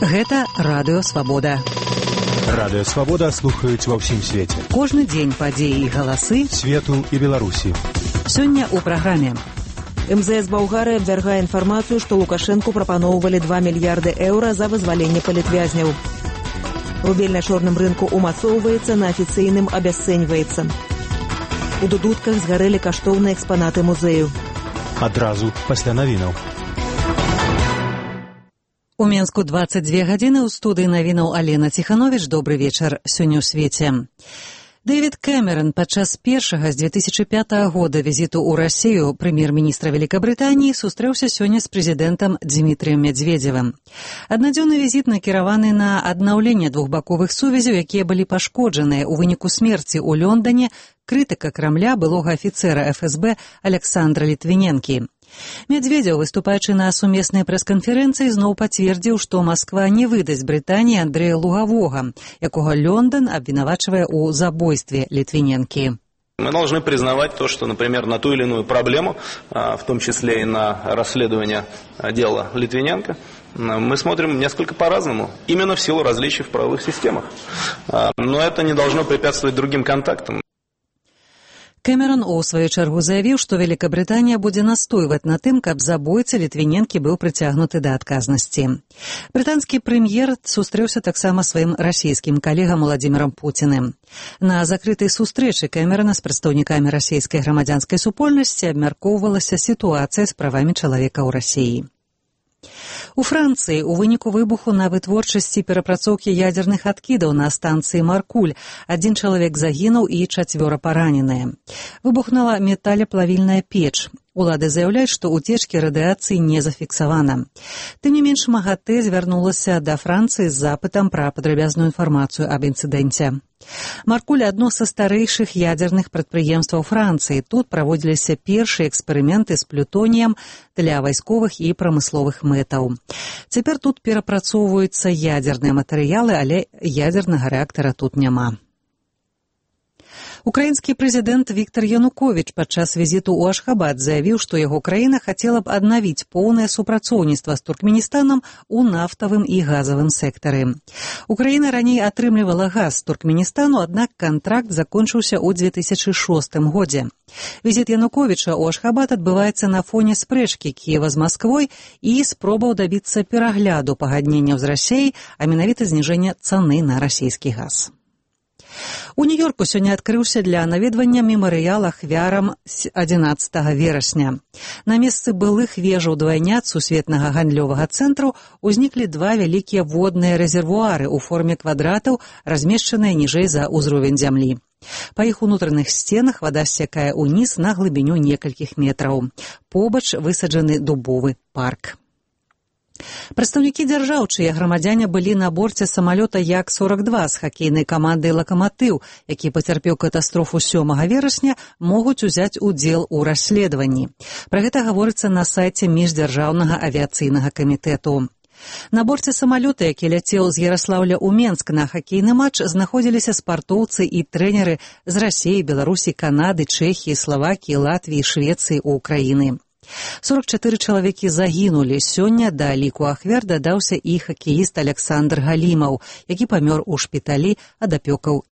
Гэта Радыё Свабода. Радыё Свабода слухаюць ва ўсім свеце. Кожны дзень падзеі і галасы свету і Беларусі. Сёння ў праграме. МЗС Балгарыі абвяргае інфармацыю, што Лукашэнку прапаноўвалі 2 мільярды еўра за вызваленне палітвязняў. Рубель на чорным рынку умацоўваецца, на афіцыйным абясцэньваецца. У дудутках згарэлі каштоўныя экспанаты музею. Адразу пасля навінаў. У Менску 22 гадзіны, ў студыі навінаў Алена Ціхановіч. Добры вечар. Сёння ў свеце. Дэвід Кэмерон падчас першага з 2005 года візіту ў Расію прэм'ер-міністра Великабрытаніі сустрэўся сёння з прэзідэнтам Дзмітрыем Медведзевым. Аднадзённы візіт накіраваны на аднаўленне двухбаковых сувязяў, якія былі пашкоджаныя ў выніку смерці ў Лондане крытыка Крамля былога афіцэра ФСБ Александра Літвіненкі. Медведзеў, выступаючы на сумеснай прэс-канферэнцыі, зноў пацвердзіў, што Масква не выдасць Брытаніі Андрэя Лугавога, якога Лондон обвинавачивая у забойстве Литвиненки. Мы должны признавать то, что, например, на ту или иную проблему, в том числе и на расследование дела Литвиненко, мы смотрим несколько по-разному, именно в силу различий в правовых системах. Но это не должно препятствовать другим контактам. Кэмерон у сваю чаргу заявіў, што Великабрытанія будзе настойваць на тым, каб забойца Літвіненкі быў прыцягнуты да адказнасці. Брытанскі прэм'ер сустрэўся таксама сваім расійскім калегам Уладзімірам Пуціным. На закрытай сустрэчы Кэмерона з прадстаўнікамі расійскай грамадзянскай супольнасці абмяркоўвалася сітуацыя з правамі чалавека ў Расіі. У Францыі ў выніку выбуху на вытворчасці перапрацоўкі ядзерных адкідаў на станцыі Маркуль 1 чалавек загінуў і 4 параненыя. Выбухнула металеплавільная печ. Улады заяўляюць, што уцечкі радыяцыі не зафіксавана. Тым не менш, МАГАТЭ звярнулася да Францыі з запытам пра падрабязную інфармацыю аб інцыдэнце. Маркуль – адно са старэйшых ядзерных прадпрыемстваў Францыі. Тут праводзіліся першыя эксперыменты з плютоніем для вайсковых і прамысловых мэтаў. Цяпер тут перапрацоўваюцца ядзерныя матэрыялы, але ядзернага рэактара тут няма. Украінскі прэзідэнт Віктор Януковіч падчас візіту ў Ашхабад заявіў, што яго краіна хацела б аднавіць поўнае супрацоўніцтва з Туркменістанам у нафтавым і газавым сектары. Украіна раней атрымлівала газ з Туркменістану, аднак кантракт закончыўся ў 2006 годзе. Візіт Януковіча ў Ашхабад адбываецца на фоне спрэчкі Кіева з Масквой і спробаў дабіцца перагляду пагадненняў з Расіяй, а менавіта зніжэння цаны на расійскі газ. У Нью-Йорку сёння адкрыўся для наведвання мемарыял ахвярам 11 верасня. На месцы былых вежаў двайняц сусветнага гандлёвага цэнтру узніклі 2 вялікія водныя рэзервуары ў форме квадратаў, размешчаныя ніжэй за ўзровень зямлі. Па іх унутраных сценах вада сцякае ўніз на глыбіню некалькіх метраў. Побач высаджаны дубовы парк. Прадстаўнікі дзяржаў, чыя грамадзяне былі на борце самалёта Як-42 з хакейнай камандай «Лакаматыў», які пацярпеў катастрофу 7 верасня, могуць узяць удзел у расследаванні. Пра гэта гаворыцца на сайце міждзяржаўнага авіяцыйнага камітэту. На борце самалёта, які ляцеў з Яраслаўля ў Менск на хакейны матч, знаходзіліся спартоўцы і трэнеры з Расіі, Беларусі, Канады, Чэхіі, Славакіі, Латвіі, Швецыі, Украіны. 44 чалавекі загінулі. Сёння да ліку ахвяр дадаўся і хакеіст Александр Галімаў, які памёр у шпіталі ад апёкаў